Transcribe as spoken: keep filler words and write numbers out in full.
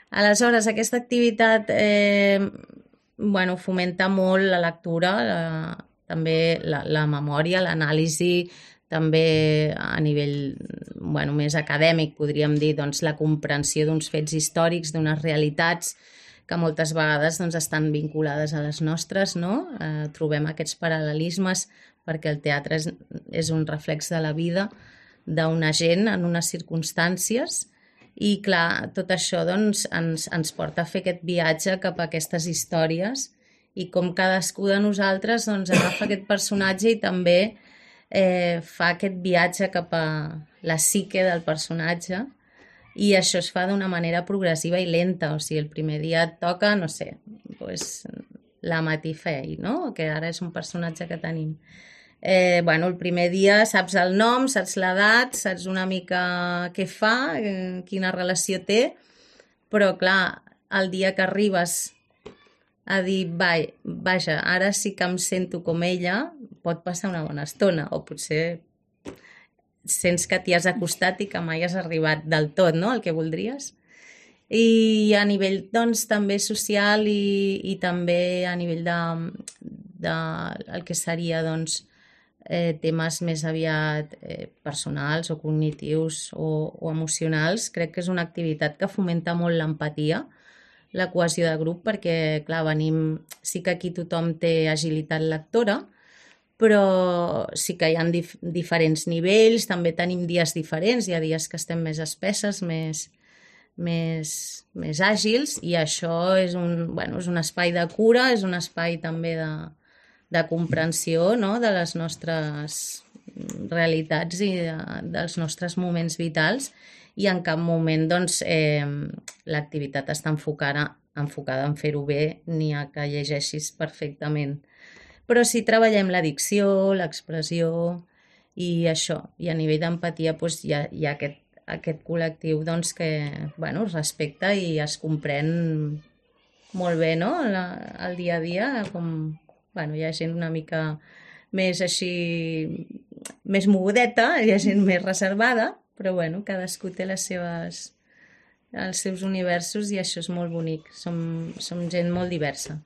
Aleshores, aquesta activitat eh, bueno, fomenta molt la lectura, la, també la, la memòria, l'anàlisi, també a nivell bueno, més acadèmic, podríem dir, doncs, la comprensió d'uns fets històrics, d'unes realitats que moltes vegades doncs, estan vinculades a les nostres, no? Eh, trobem aquests paral·lelismes perquè el teatre és, és un reflex de la vida d'una gent en unes circumstàncies i, clar, tot això doncs, ens, ens porta a fer aquest viatge cap a aquestes històries i com cadascú de nosaltres doncs, agafa aquest personatge i també eh, fa aquest viatge cap a la psique del personatge i això es fa d'una manera progressiva i lenta, o sigui, el primer dia et toca, no sé, pues, la Matifei, no? Que ara és un personatge que tenim. Eh, bueno, el primer dia saps el nom, saps l'edat, saps una mica què fa, eh, quina relació té, però clar, el dia que arribes a dir, vai, vaja, ara sí que em sento com ella, pot passar una bona estona, o potser sents que t'hi has acostat i que mai has arribat del tot, no?, el que voldries. I a nivell, doncs, també social i, i també a nivell de, de el que seria, doncs, eh, temes més aviat eh, personals o cognitius o, o emocionals, crec que és una activitat que fomenta molt l'empatia, la cohesió de grup, perquè, clar, venim... Sí que aquí tothom té agilitat lectora, però sí que hi ha dif diferents nivells, també tenim dies diferents, hi ha dies que estem més espesses, més, més, més àgils, i això és un, bueno, és un espai de cura, és un espai també de, de comprensió, no?, de les nostres realitats i de, dels nostres moments vitals, i en cap moment doncs, eh, l'activitat està enfocada, enfocada en fer-ho bé ni a que llegeixis perfectament. Però sí treballem la dicció, l'expressió i això. I a nivell d'empatia doncs, hi ha, hi ha aquest, aquest col·lectiu doncs, que bueno, es respecta i es comprèn molt bé, no?, la, el dia a dia, com bueno, hi ha gent una mica més així, més mogudeta, hi ha gent més reservada, però bueno, cadascú té les seves, els seus universos i això és molt bonic. Som, som gent molt diversa.